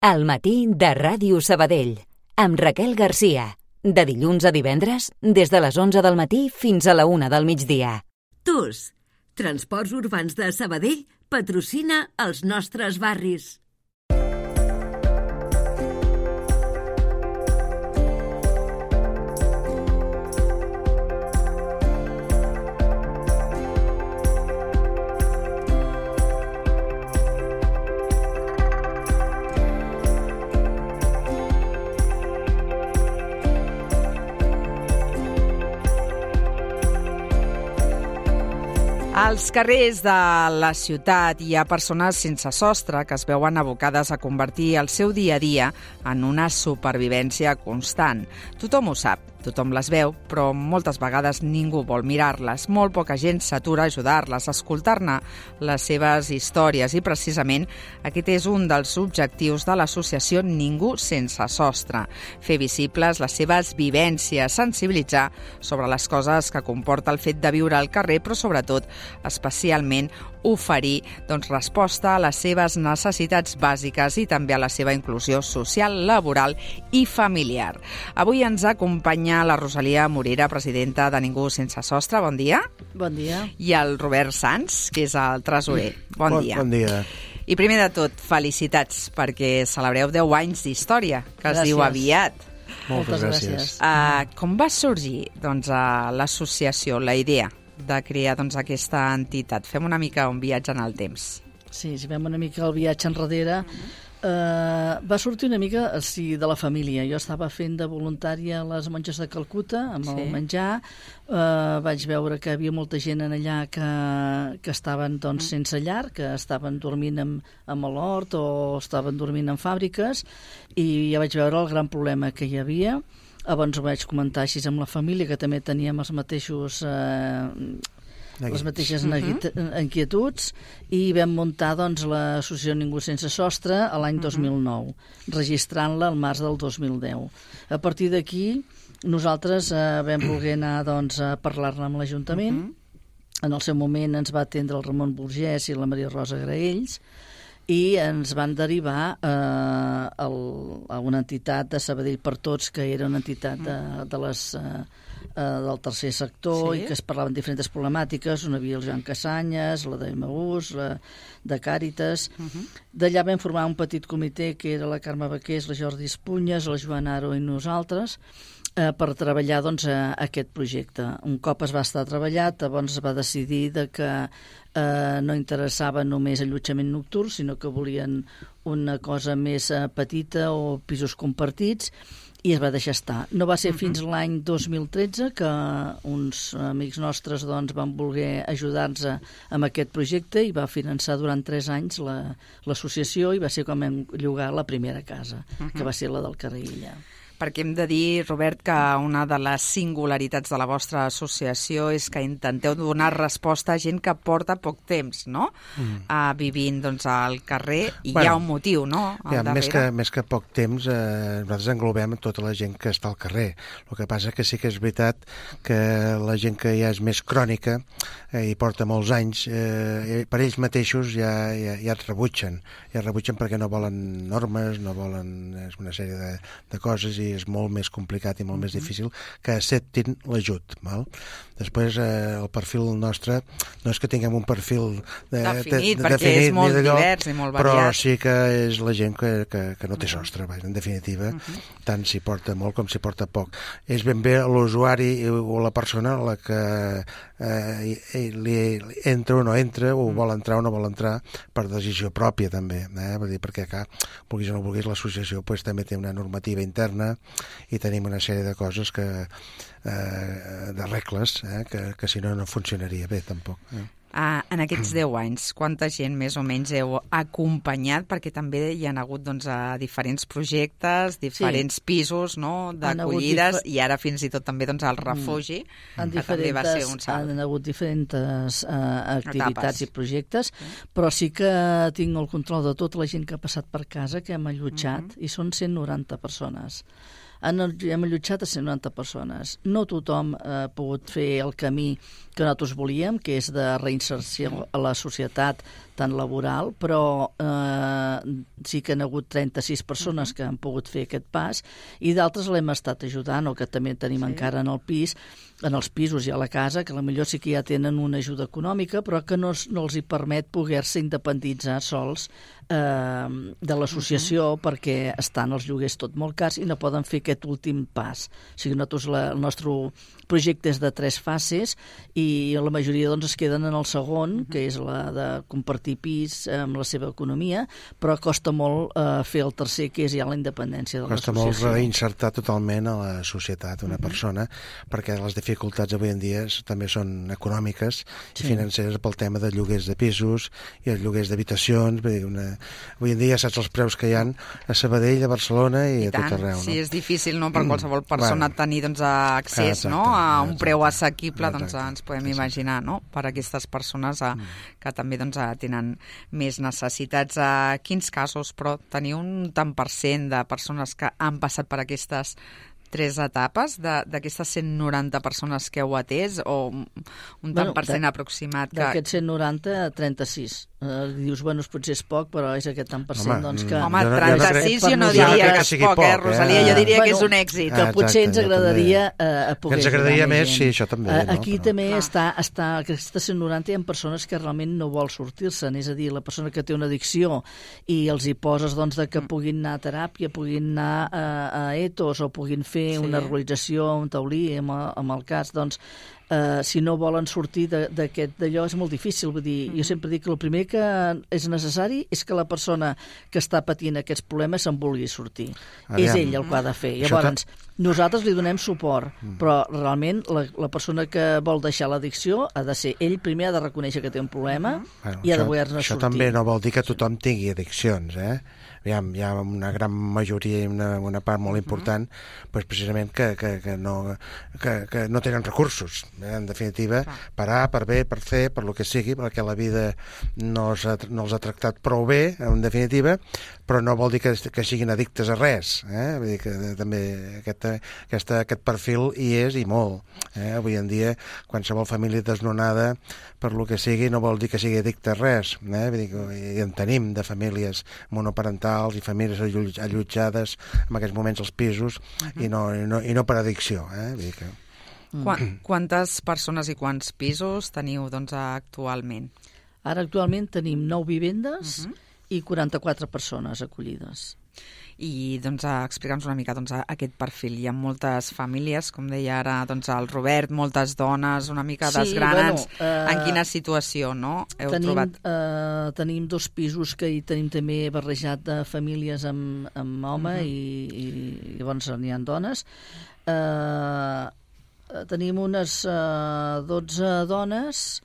Al matí de Ràdio Sabadell, amb Raquel Garcia. De dilluns a divendres, des de les 11 del matí fins a la 1 del migdia. TUS, Transports Urbans de Sabadell, patrocina els nostres barris. Als carrers de la ciutat hi ha persones sense sostre que es veuen abocades a convertir el seu dia a dia en una supervivència constant. Tothom ho sap, tothom les veu, però moltes vegades ningú vol mirar-les. Molt poca gent s'atura a ajudar-les, a escoltar-ne les seves històries i precisament aquest és un dels objectius de l'associació Ningú sense sostre. Fer visibles les seves vivències, sensibilitzar sobre les coses que comporta el fet de viure al carrer, però sobretot especialment oferir resposta a les seves necessitats bàsiques i també a la seva inclusió social, laboral i familiar. Avui ens acompanya la Rosalia Morera, presidenta de Ningú sense sostre. Bon dia. Bon dia. I el Robert Sans, que és el tresorer. Bon dia. Bon dia. I primer de tot, felicitats, perquè celebreu 10 anys d'història, que es diu aviat. Moltes gràcies. Com va sorgir l'associació, la idea de crear aquesta entitat? Fem una mica un viatge en el temps. Sí, si fem una mica el viatge enrere, va sortir una mica de la família. Jo estava fent de voluntària a les monges de Calcuta, amb el menjar. Vaig veure que hi havia molta gent en allà que estaven sense llar, que estaven dormint amb l'hort o estaven dormint en fàbriques, i ja vaig veure el gran problema que hi havia. Abans ho vaig comentar així amb la família, que també teníem les mateixes inquietuds, i vam muntar l'associació Ningú sense sostre a l'any 2009, registrant-la al març del 2010. A partir d'aquí, nosaltres vam voler anar a parlar-ne amb l'Ajuntament. En el seu moment ens va atendre el Ramon Burgès i la Maria Rosa Graells, i ens van derivar a una entitat de Sabadell per Tots, que era una entitat del tercer sector, i que es parlaven diferents problemàtiques. On havia el Joan Casanyes, la d'Emaús, la de Càritas. D'allà vam formar un petit comitè, que era la Carme Baqués, la Jordi Espunyes, la Joana Aro i nosaltres, per treballar aquest projecte. Un cop es va estar treballat, llavors es va decidir que no interessava només allotjament nocturn, sinó que volien una cosa més petita o pisos compartits, i es va deixar estar. No va ser fins l'any 2013 que uns amics nostres van voler ajudar-nos amb aquest projecte i va finançar durant 3 anys l'associació, i va ser com vam llogar la primera casa, que va ser la del carrer Illa. Perquè hem de dir, Robert, que una de les singularitats de la vostra associació és que intenteu donar resposta a gent que porta poc temps, no?, vivint al carrer, i hi ha un motiu, no?, al darrere. Més que poc temps, nosaltres englobem tota la gent que està al carrer. El que passa que sí que és veritat que la gent que ja és més crònica i porta molts anys, per ells mateixos ja et rebutgen. Ja et rebutgen perquè no volen normes, no volen una sèrie de coses, i és molt més complicat i molt més difícil que acceptin l'ajut. Després, el perfil nostre no és que tinguem un perfil definit, perquè és molt divers i molt variat. Però sí que és la gent que no té sostre, en definitiva, tant s'hi porta molt com s'hi porta poc. És ben bé l'usuari o la persona a la que li entra o no entra, o vol entrar o no vol entrar, per decisió pròpia també, perquè acá, vulguis o no vulguis, l'associació també té una normativa interna i tenim una sèrie de coses de regles que si no funcionaria bé tampoc. En aquests 10 anys, quanta gent més o menys heu acompanyat? Perquè també hi ha hagut diferents projectes, diferents pisos d'acollides, i ara fins i tot també el refugi, que també va ser un salt. Han hagut diferents activitats i projectes, però sí que tinc el control de tota la gent que ha passat per casa, que hem allotjat, i són 190 persones. hem allotjat a 190 persones. No tothom ha pogut fer el camí que nosaltres volíem, que és de reinserció a la societat tan laboral, però sí que han hagut 36 persones que han pogut fer aquest pas i d'altres l'hem estat ajudant, o que també tenim encara en el pis, en els pisos i a la casa, que potser sí que ja tenen una ajuda econòmica, però que no els hi permet poder-se independitzar sols de l'associació perquè estan els lloguers tot molt cars i no poden fer aquest últim pas. O sigui, nosaltres el nostre projecte és de 3 fases i la majoria doncs, es queden en el segon, que és la de compartir pis amb la seva economia, però costa molt fer el tercer, que és ja la independència de l'associació. Costa molt reinsertar totalment a la societat una persona, perquè les dificultats avui en dia també són econòmiques i financeres pel tema de lloguers de pisos i els lloguers d'habitacions. Avui en dia saps els preus que hi ha a Sabadell, a Barcelona i a tot arreu. No? Sí, és difícil per qualsevol persona tenir accés a un preu assequible, ens podem imaginar, per a aquestes persones que també tenen més necessitats. Quins casos, però, teniu un tant per cent de persones que han passat per aquestes 3 etapes d'aquestes 190 persones que heu atès, o un tant per cent aproximat? D'aquests 190, 36. Dius, potser és poc, però és aquest tant per cent, doncs que... Home, 36 jo no diria que és poc, Rosalia, jo diria que és un èxit. Que potser ens agradaria poder... Ens agradaria més, sí, això també. Aquí també està, aquestes 190 hi ha persones que realment no vol sortir-se'n, és a dir, la persona que té una addicció i els hi poses que puguin anar a teràpia, puguin anar a etos o puguin fer una realització, un taulí, amb el cas, doncs, si no volen sortir d'allò és molt difícil. Vull dir, jo sempre dic que el primer que és necessari és que la persona que està patint aquests problemes se'n vulgui sortir. És ell el que ha de fer. Llavors, nosaltres li donem suport, però realment la persona que vol deixar l'addicció ha de ser ell primer, ha de reconèixer que té un problema i ha de voler-ne sortir. Això també no vol dir que tothom tingui addiccions, Hi ha una gran majoria i una part molt important precisament que no tenen recursos. En definitiva, parar, per bé, per fer, per lo que sigui, perquè la vida no els ha tractat prou bé, en definitiva, però no vol dir que siguin addictes a res. Vull dir que també aquest perfil hi és, i molt. Avui en dia, qualsevol família desnonada, per lo que sigui, no vol dir que sigui addicte a res. Vull dir que en tenim de famílies monoparentals i famílies allotjades en aquests moments als pisos i no per addicció. Vull dir que... Quantes persones i quants pisos teniu actualment? Ara actualment tenim 9 vivendes i 44 persones acollides. I explica'ns una mica aquest perfil. Hi ha moltes famílies, com deia ara el Robert, moltes dones, una mica desgrana'ns en quina situació heu trobat? Tenim 2 pisos que hi tenim també barrejat de famílies amb home i llavors n'hi ha dones. Tenim unes 12 dones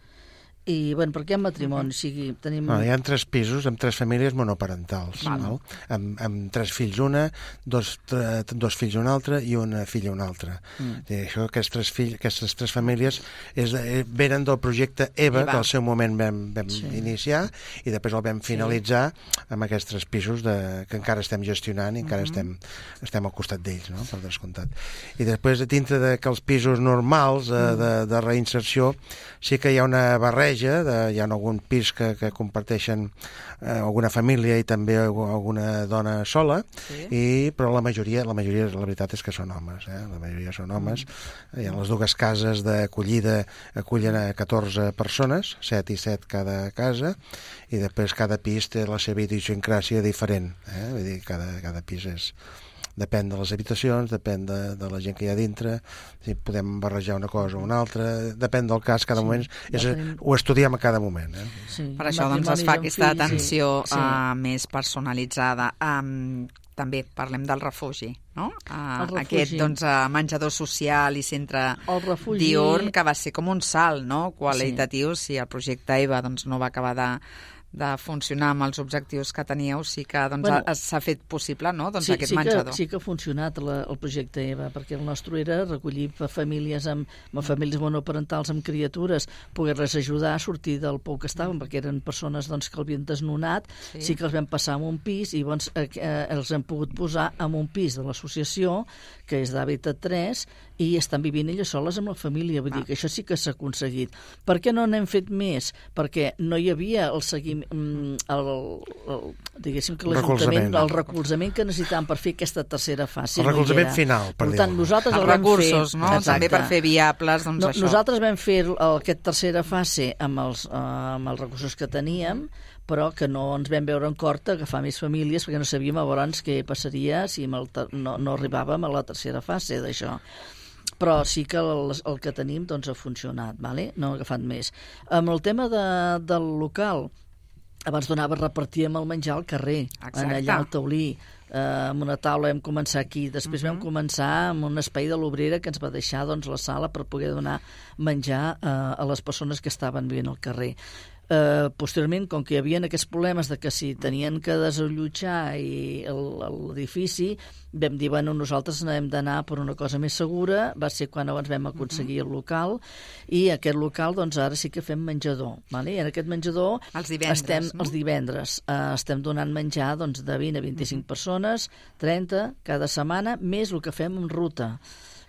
i, perquè en matrimoni tenim... Hi ha 3 pisos amb 3 famílies monoparentals, amb 3 fills una, 2 fills una altra i una filla una altra. Aquestes 3 famílies venen del projecte EVA, que al seu moment vam iniciar, i després el vam finalitzar amb aquests 3 pisos que encara estem gestionant i encara estem al costat d'ells, per descomptat. I després, dintre d'aquells pisos normals de reinserció, sí que hi ha una barreja, hi ha algun pis que comparteixen alguna família i també alguna dona sola, però la majoria la veritat és que són homes. La majoria són homes. Hi ha les 2 cases d'acollida, acullen a 14 persones, 7 i 7 cada casa, i després cada pis té la seva idiosincràsia diferent. Vull dir, cada pis depèn de les habitacions, depèn de la gent que hi ha dintre, si podem barrejar una cosa o una altra, depèn del cas, cada moment, ho estudiem a cada moment. Per això es fa aquesta atenció més personalitzada. També parlem del refugi, no? Aquest menjador social i centre diürn, que va ser com un salt qualitatiu, si el projecte EVA no va acabar de funcionar amb els objectius que teníeu, sí que s'ha fet possible, no?, aquest menjador. Sí que ha funcionat el projecte EVA, perquè el nostre era recollir famílies amb famílies monoparentals amb criatures, poder-les ajudar a sortir del pou que estaven, perquè eren persones que l'havien desnonat, sí que els vam passar en un pis i llavors els hem pogut posar en un pis de l'associació, que és d'Hàbitat 3, i estan vivint elles soles amb la família. Vull dir que això sí que s'ha aconseguit. Per què no n'hem fet més? Perquè no hi havia el seguiment, diguéssim que l'Ajuntament, el recolzament que necessitàvem per fer aquesta tercera fase. El recolzament final, per dir-ho. Els recursos, no? També per fer viables, doncs això. Nosaltres vam fer aquesta tercera fase amb els recursos que teníem, però que no ens vam veure en cort a agafar més famílies perquè no sabíem llavors què passaria si no arribàvem a la tercera fase d'això. Però sí que el que tenim ha funcionat, vale? No ha agafat més. Amb el tema del local, abans donava a repartir el menjar al carrer, allà al taulí, amb una taula vam començar aquí, després vam començar amb un espai de l'obrera que ens va deixar la sala per poder donar menjar a les persones que estaven vivint al carrer. Posteriorment, com que hi havia aquests problemes de que si tenien que desallotjar l'edifici, vam dir, nosaltres hem d'anar per una cosa més segura, va ser quan abans vam aconseguir el local, i aquest local, ara sí que fem menjador, vale? I en aquest menjador els divendres estem donant menjar de 20 a 25 persones, 30 cada setmana, més el que fem en ruta,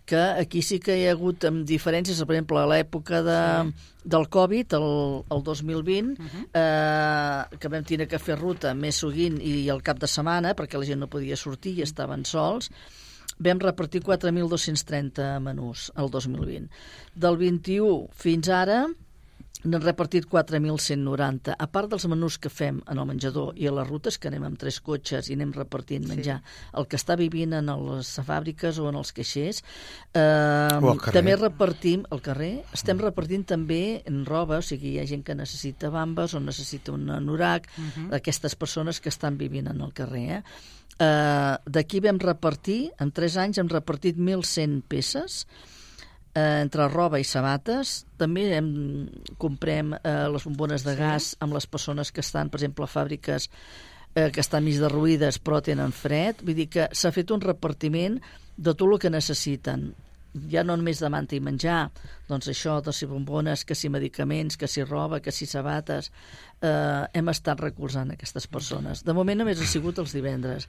que aquí sí que hi ha hagut diferències, per exemple, a l'època del Covid, el 2020, que vam tenir que fer ruta més sovint i al cap de setmana, perquè la gent no podia sortir i estaven sols, vam repartir 4.230 menús el 2020. Del 21 fins ara n'hem repartit 4.190. A part dels menús que fem en el menjador i a les rutes, que anem amb 3 cotxes i anem repartint menjar, el que està vivint en les fàbriques o en els caixers, també repartim al carrer, estem repartint també en roba, o sigui, hi ha gent que necessita bambes o necessita un anorac, d'aquestes persones que estan vivint en el carrer. D'aquí vam repartir, en 3 anys hem repartit 1.100 peces, entre roba i sabates. També comprem les bombones de gas amb les persones que estan, per exemple, a fàbriques que estan mig derruïdes però tenen fred. Vull dir que s'ha fet un repartiment de tot el que necessiten. Ja no només de manta i menjar, doncs això, de si bombones, que si medicaments, que si roba, que si sabates. Hem estat recolzant aquestes persones. De moment només ha sigut els divendres.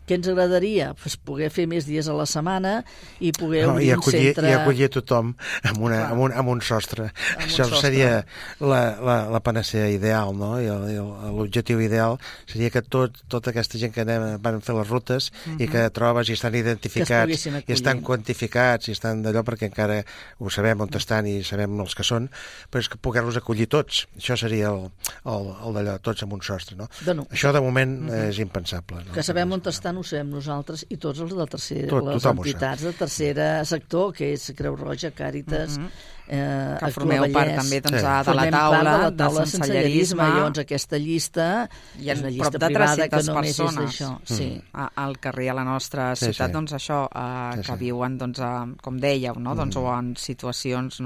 Què ens agradaria? Pues poder fer més dies a la setmana i poder obrir un centre... I acollir tothom amb un sostre. Això seria la panacea ideal, no? I l'objectiu ideal seria que tota aquesta gent que van fer les rutes i que trobes i estan identificats i estan quantificats i estan d'allò perquè encara ho sabem on estan i sabem els que són, però és que poder-los acollir tots. Això seria el d'allò, tots amb un sostre, no? Això de moment és impensable. Que sabem on estan ho sabem nosaltres i tots els de les entitats de tercer sector, que és Creu Roja, Càritas, que formeu part també de la taula de sensellerisme. Llavors aquesta llista és una llista privada que només és d'això. Al carrer, a la nostra ciutat, doncs això, que viuen, com dèieu, o en situacions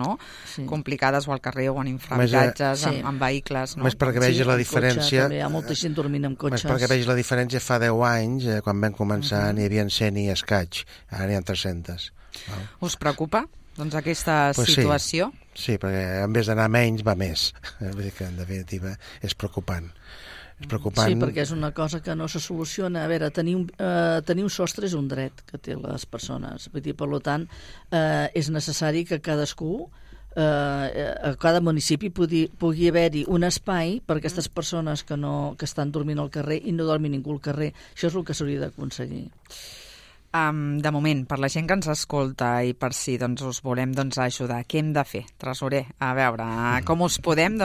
complicades o al carrer o en infrahabitatges, en vehicles. Més perquè vegi la diferència... Hi ha molta gent dormint en cotxes. Més perquè vegi la diferència fa 10 anys, quan vam començar n'hi havia 100 i escaig, ara n'hi ha 300. Us preocupa, aquesta situació? Sí, perquè en vez d'anar menys va més. Vull dir que en definitiva és preocupant. Sí, perquè és una cosa que no se soluciona. A veure, tenir un sostre és un dret que té les persones. Vull dir, per tant, és necessari que cadascú a cada municipi pugui haver-hi un espai per a aquestes persones que estan dormint al carrer i no dormi ningú al carrer. Això és el que s'hauria d'aconseguir. De moment, per la gent que ens escolta i per si us volem ajudar, què hem de fer, tresorer? A veure, com us podem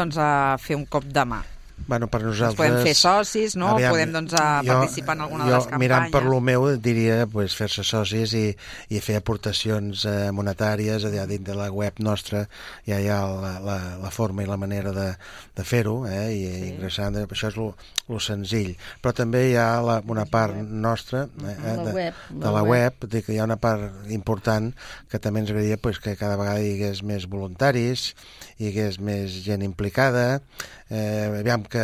fer un cop de mà? Bueno, per nosaltres... Podem fer socis, no? Podem participar en alguna de les campanyes. Mirant per lo meu, diria fer-se socis i fer aportacions monetàries a dins de la web nostra. Ja hi ha la forma i la manera de fer-ho, i ingressant. Això és lo senzill. Però també hi ha una part nostra de la web, que hi ha una part important que també ens agradaria que cada vegada hi hagués més voluntaris, hi hagués més gent implicada, aviam que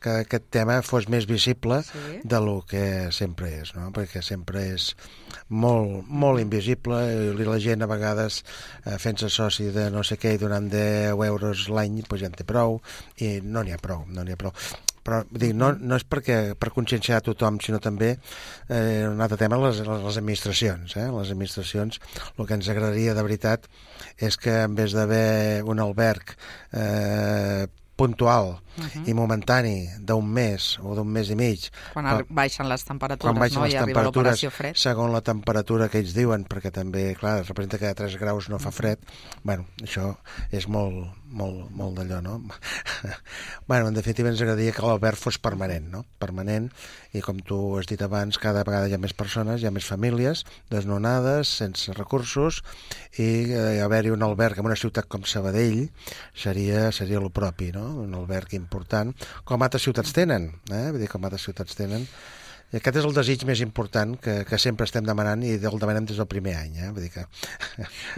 aquest tema fos més visible de lo que sempre és, no? Perquè sempre és molt, molt invisible i la gent a vegades fent-se soci de no sé què i donant 10 euros l'any pues ja en té prou i no n'hi ha prou. Però dic, no és per conscienciar tothom, sinó també un altre tema, les administracions. Les administracions, el que ens agradaria de veritat és que en vez d'haver un alberg puntual i momentani d'un mes o d'un mes i mig. Quan baixen les temperatures, no? I arriba l'operació fred. Segons la temperatura que ells diuen, perquè també, clar, representa que a 3 graus no fa fred. Bueno, això és molt d'allò, no? Bueno, en definitiva ens agradaria que l'alberg fos permanent, no? Permanent, i com tu has dit abans, cada vegada hi ha més persones, hi ha més famílies desnonades, sense recursos, i haver-hi un alberg en una ciutat com Sabadell seria el propi, no? Un alberg important, com altres ciutats tenen, vull dir, com altres ciutats tenen. I aquest és el desig més important que sempre estem demanant i el demanem des del primer any. Vull dir que...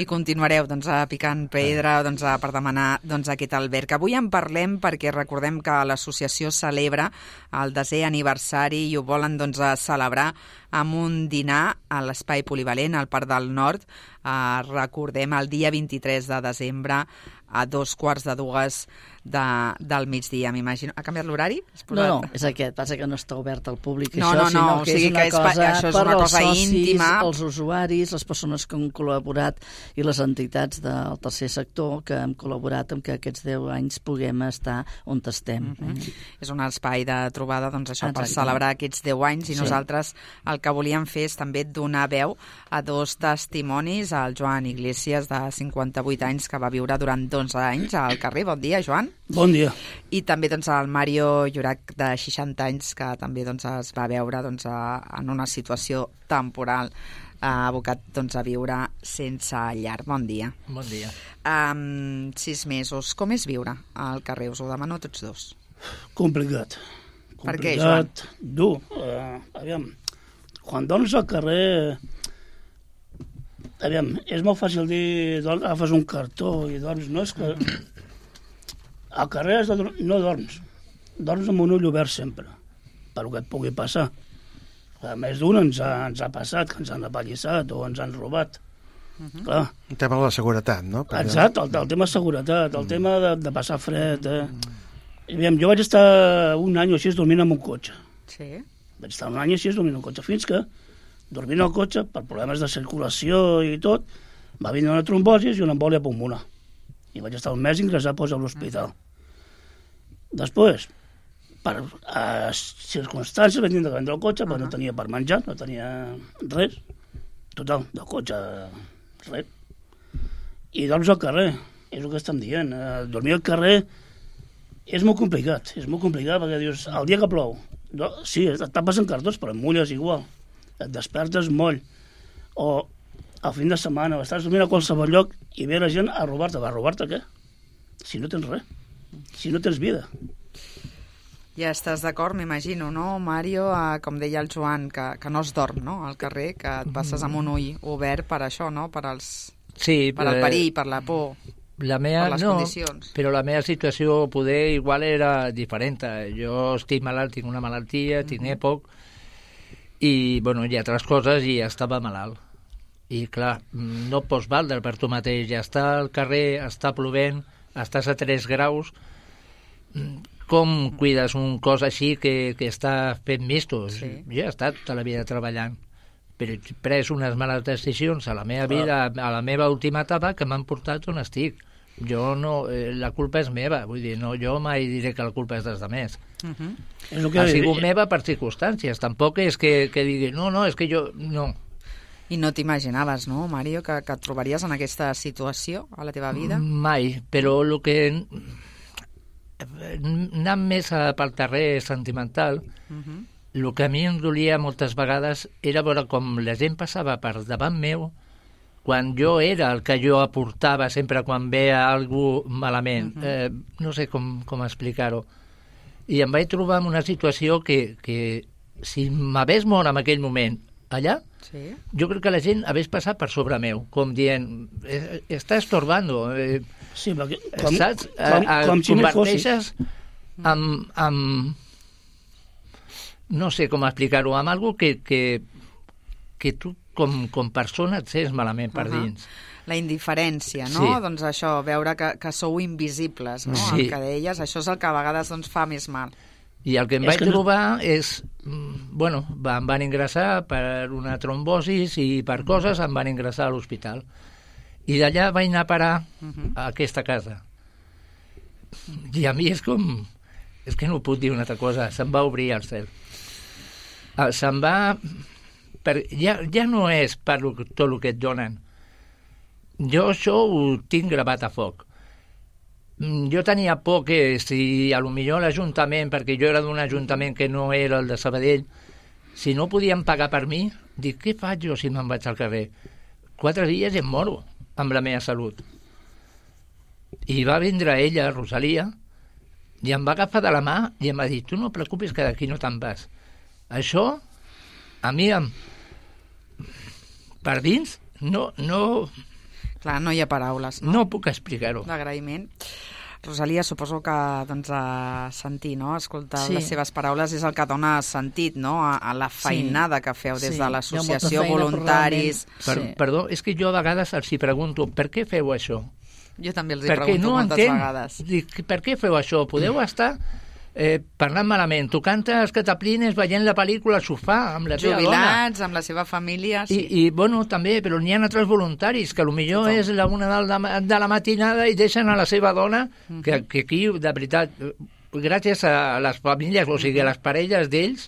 I continuareu picant pedra per demanar aquest alberg. Avui en parlem perquè recordem que l'associació celebra el 10è aniversari i ho volen celebrar amb un dinar a l'Espai Polivalent, al Parc del Nord. Recordem el dia 23 de desembre a 2:45 del migdia, m'imagino. Ha canviat l'horari? No, és aquest. Passa que no està obert al públic, no, sinó que és una cosa això és per una als cosa socis, íntima. Els usuaris, les persones que han col·laborat i les entitats del tercer sector que han col·laborat amb que aquests 10 anys puguem estar on estem. És un espai de trobada per celebrar aquests 10 anys i nosaltres el que volíem fer és també donar veu a 2 testimonis, al Joan Iglesias, de 58 anys, que va viure durant 11 anys al carrer. Bon dia, Joan. Bon dia. I també al Mario Llorac, de 60 anys, que també es va veure en una situació temporal, abocat a viure sense llar. Bon dia. Bon dia. 6 mesos. Com és viure al carrer? Us ho demano a tots dos. Complicat. Per què, Joan? Dur. Aviam, quan dorms al carrer... Aviam, és molt fàcil dir, agafes un cartó i dorms. No, és que... Al carrer no dorms. Dorms amb un ull obert sempre, per el que et pugui passar. A més d'un ens ha passat, que ens han apallissat o ens han robat. Clar. El tema de la seguretat, no? Exacte, el tema de seguretat, el tema de passar fred. Aviam, jo vaig estar un any o així dormint en un cotxe. Sí. Vaig estar un any així dormint en un cotxe, fins que, dormint al cotxe, per problemes de circulació i tot, va venir una trombosi i una embòlia pulmonar. I vaig estar un mes ingressat a l'hospital. Després, per circumstàncies, vaig tindre que vendre el cotxe, però no tenia per menjar, no tenia res. Total, del cotxe, res. I dorms al carrer, és el que estem dient. Dormir al carrer és molt complicat, perquè dius, el dia que plou, sí, et tapes en cartons, però et mulles igual. Et despertes moll. O al fin de setmana, estàs dormint a qualsevol lloc i ve la gent a robar-te. Va a robar-te què? Si no tens res. Si no tens vida. Ja estàs d'acord, m'imagino, no, Mario? Com deia el Joan, que no es dorm, no?, al carrer, que et passes amb un ull obert per això, no?, per el perill, per la por, per les condicions. Però la meva situació poder igual era diferent. Jo estic malalt, tinc una malaltia, tinc EPOC, i, bueno, hi ha altres coses i estava malalt. I, clar, no pots valdre per tu mateix. Ja està al carrer, està plovent, estàs a 3 graus, com cuides un cos així que està fent mistos? Sí. Jo he estat tota la vida treballant, però he pres unes males decisions a la meva vida, a la meva última etapa, que m'han portat on estic. Jo no, la culpa és meva, vull dir, no, jo mai diré que la culpa és dels altres. Ha sigut meva per circumstàncies, tampoc és que digui, no, és que jo... no. I no t'imaginaves, no, Mario, que et trobaries en aquesta situació a la teva vida? Mai, però el que... anant més pel terrer sentimental, el que a mi em dolia moltes vegades era veure com la gent passava per davant meu quan jo era el que jo aportava sempre quan veia algú malament. No sé com explicar-ho. I em vaig trobar en una situació que si m'hagués mort en aquell moment allà, jo crec que la gent hagués passat per sobre meu, com dient, està estorbando. Sí, perquè saps? Converteixes no sé com explicar-ho, amb algo que tu com persona et sents malament per dins. La indiferència, no? Sí. Doncs això, veure que sou invisibles, no? Sí. El que deies, això és el que a vegades fa més mal. I el que em vaig trobar és... Bueno, em van ingressar per una trombosis i per coses em van ingressar a l'hospital. I d'allà vaig anar a parar a aquesta casa. I a mi és com... És que no puc dir una altra cosa. Se'm va obrir el cel. Se'm va... Ja no és per tot el que et donen. Jo això ho tinc gravat a foc. Jo tenia por que si a lo millor l'Ajuntament, perquè jo era d'un ajuntament que no era el de Sabadell, si no podien pagar per mi, dic, què faig jo si me'n vaig al carrer? 4 dies i em moro amb la meva salut. I va vindre ella, Rosalia, i em va agafar de la mà i em va dir, tu no et preocupis que d'aquí no te'n vas. Això, a mi, per dins, no... Clar, no hi ha paraules, no? No puc explicar-ho. D'agraïment. Rosalia, suposo que sentir, no? Escoltar les seves paraules és el que dona sentit, no? A la feinada que feu des de l'associació, voluntaris... Perdó, és que jo a vegades els hi pregunto per què feu això? Jo també els hi pregunto moltes vegades. Dic, per què feu això? Podeu estar parlant malament, tocant els cataplines, veient la pel·lícula al sofà amb la teva dona. Jubilats, amb la seva família, sí. I bueno, també, però n'hi ha altres voluntaris que potser és la 1 de la matinada i deixen a la seva dona, que aquí, de veritat, gràcies a les famílies, o sigui, a les parelles d'ells,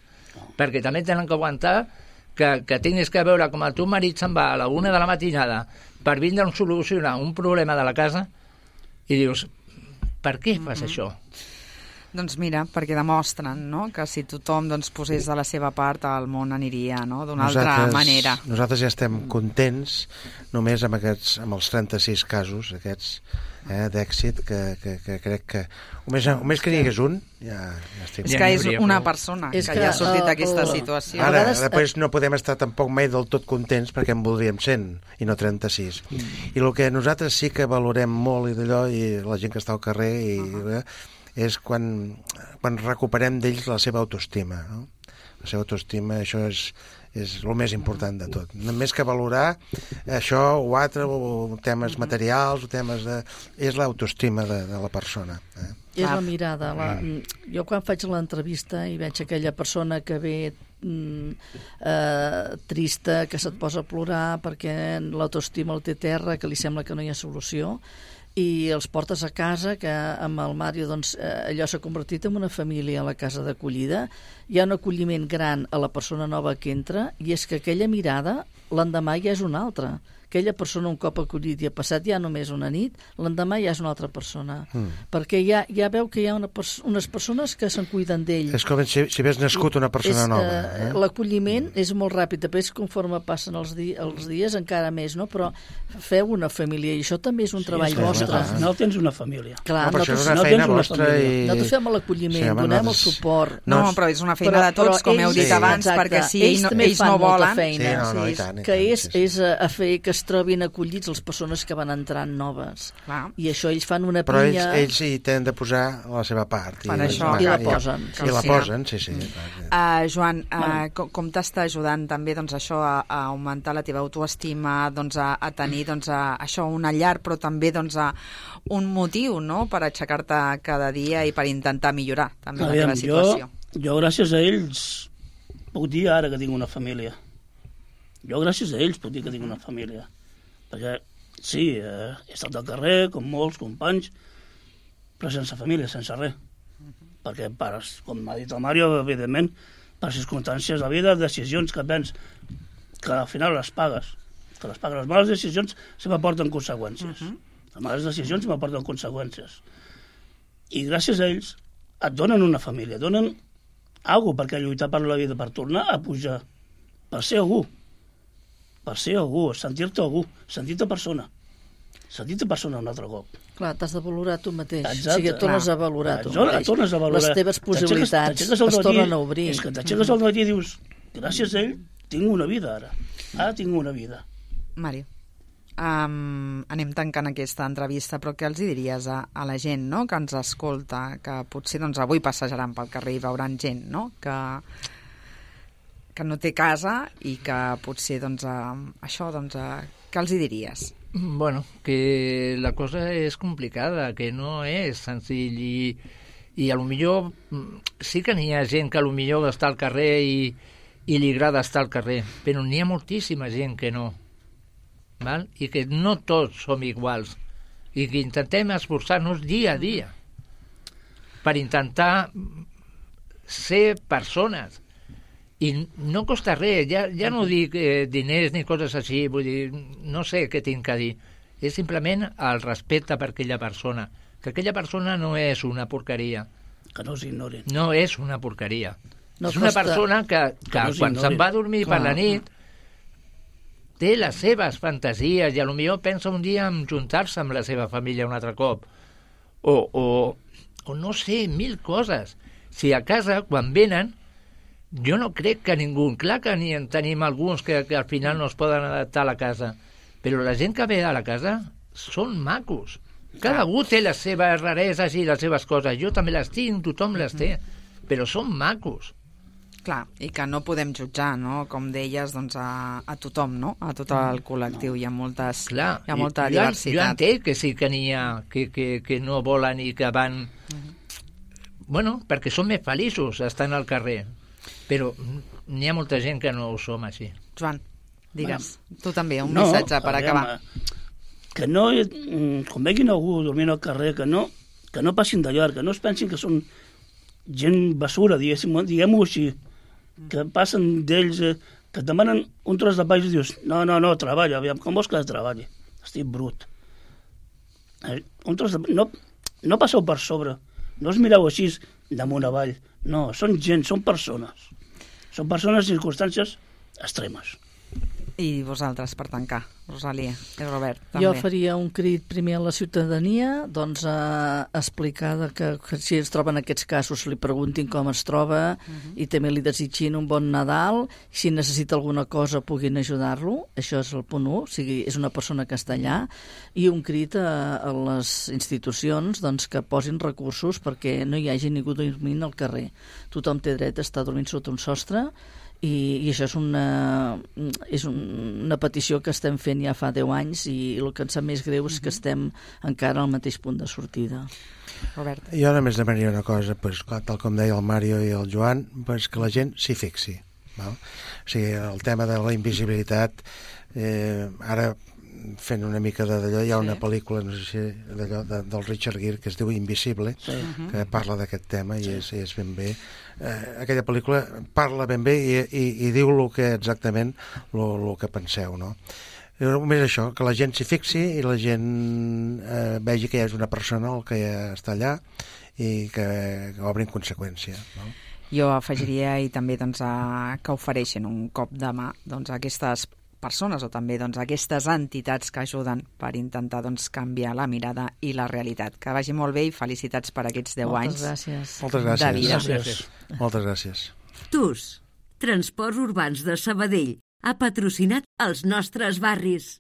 perquè també tenen que aguantar que tinguis que veure com el teu marit se'n va a la 1 de la matinada per vindre a solucionar un problema de la casa i dius, per què fas això? Doncs mira, perquè demostren, no?, que si tothom posés de la seva part el món aniria, no?, d'una altra manera. Nosaltres ja estem contents només amb els 36 casos aquests d'èxit que crec que només que n'hi hagués un ja estic... És que és una persona que ja ha sortit d'aquesta situació. Ara, després no podem estar tampoc mai del tot contents perquè en voldríem 100 i no 36. I el que nosaltres sí que valorem molt i d'allò, i la gent que està al carrer és quan recuperem d'ells la seva autoestima, no? La seva autoestima, això és el més important de tot. Més que valorar això o altre, o temes materials, o temes de... És l'autoestima de la persona. És la mirada. Jo quan faig l'entrevista i veig aquella persona que ve trista, que se't posa a plorar perquè l'autoestima el té terra, que li sembla que no hi ha solució, i els portes a casa, que amb el Mario allò s'ha convertit en una família a la casa d'acollida. Hi ha un acolliment gran a la persona nova que entra, i és que aquella mirada l'endemà ja és una altra. Aquella persona un cop acollit i ha passat ja només una nit, l'endemà ja és una altra persona. Perquè ja veu que hi ha unes persones que se'n cuiden d'ell. És com si hagués nascut una persona nova. L'acolliment és molt ràpid, després conforme passen els dies encara més, no? Però feu una família, i això també és un treball vostre. Al final tens una família. Clar, nosaltres fem l'acolliment, donem el suport. No, però és una feina de tots, com heu dit abans, perquè si ells no volen... Que és a fer que es trobin acollits les persones que van entrant noves. I això ells fan una pinya... Però ells hi tenen de posar la seva part. I la posen. I la posen, sí. Joan, com t'està ajudant també això a augmentar la teva autoestima, a tenir això, una llar, però també un motiu, no?, per aixecar-te cada dia i per intentar millorar també la teva situació. Jo gràcies a ells puc dir ara que tinc una família. Jo gràcies a ells puc dir que tinc una família. Perquè sí, he estat al carrer com molts companys, però sense família, sense res. Perquè, com m'ha dit el Mario, evidentment, per circumstàncies de vida, decisions que prens, que al final les pagues. Que les pagues. Les males decisions se m'aporten conseqüències. Les males decisions se m'aporten conseqüències. I gràcies a ells et donen una família, et donen alguna cosa perquè lluitar per la vida, per tornar a pujar, per ser algú, sentir-te algú, sentir-te persona un altre cop. Clar, t'has de valorar tu mateix. Exacte. O sigui, et tornes a valorar tu mateix. Les teves possibilitats es tornen a obrir. És que t'aixeques al matí i dius, gràcies a ell tinc una vida ara. Ara tinc una vida. Mario. Anem tancant aquesta entrevista, però què els diries a la gent, no?, que ens escolta, que potser doncs, avui passejaran pel carrer i veuran gent, no?, que no té casa i que potser doncs, això, doncs, què els diries? Bueno, que la cosa és complicada, que no és senzill i a lo millor sí que n'hi ha gent que a lo millor està al carrer i li agrada estar al carrer, però n'hi ha moltíssima gent que no. Val? I que no tots som iguals i que intentem esforçar-nos dia a dia per intentar ser persones i no costa res, ja no dic diners ni coses així, vull dir, no sé què tinc a dir, és simplement el respecte per aquella persona, que aquella persona no és una porqueria, que no s'ignorin, no és una porqueria, no és una persona que no quan se'n va a dormir per la nit té les seves fantasies i potser pensa un dia en juntar-se amb la seva família un altre cop. O no sé, 1000 coses. Si a casa, quan venen, jo no crec que ningú... Clar que ni en tenim alguns que al final no es poden adaptar a la casa, però la gent que ve a la casa són macos. Cadascú té les seves rareses i les seves coses. Jo també les tinc, tothom les té, però són macos. Clar, i que no podem jutjar, no?, com deies, doncs a tothom, no?, a tot el col·lectiu. Hi ha molta diversitat. Jo entenc que sí que n'hi ha que no volen i que van... Bueno, perquè són més feliços estant al carrer, però n'hi ha molta gent que no ho som així. Joan, digues, tu també, un missatge per acabar. Que no, quan veguin algú dormint al carrer, que no passin de llarg, que no es pensin que són gent basura, diguem-ho així, que passen d'ells, que et demanen un tros de pa i dius, no, treballa, aviam, com vols que treballi? Estic brut. Un tros de... No passeu per sobre, no us mireu així damunt avall, no, són gent, són persones. Són persones i circumstàncies extremes. I vosaltres, per tancar, Rosalia i Robert, també. Jo faria un crit primer a la ciutadania, doncs a explicar que si es troben aquests casos li preguntin com es troba i també li desitgin un bon Nadal, si necessita alguna cosa puguin ajudar-lo, això és el punt 1, o sigui, és una persona que està allà, i un crit a les institucions doncs, que posin recursos perquè no hi hagi ningú dormint al carrer. Tothom té dret a estar dormint sota un sostre i això és una petició que estem fent ja fa 10 anys i el que ens sap més greu és que estem encara al mateix punt de sortida. Robert. Jo només demanaria una cosa, pues, tal com deia el Mario i el Joan, pues, que la gent s'hi fixi. Val? O sigui, el tema de la invisibilitat, ara fent una mica d'allò, hi ha una pel·lícula, no sé si d'allò, del Richard Gere, que es diu Invisible, que parla d'aquest tema i és ben bé. Aquella pel·lícula parla ben bé i diu exactament el que penseu, no? Només això, que la gent s'hi fixi i la gent vegi que hi ha una persona que està allà i que obri en conseqüència, no? Jo afegiria i també doncs, que ofereixen un cop de mà doncs, a aquestes persones o també doncs, aquestes entitats que ajuden per intentar doncs, canviar la mirada i la realitat. Que vagi molt bé i felicitats per aquests 10 anys. Moltes gràcies. De vida. Gràcies. Moltes gràcies. TUS, Transports Urbans de Sabadell, ha patrocinat els nostres barris.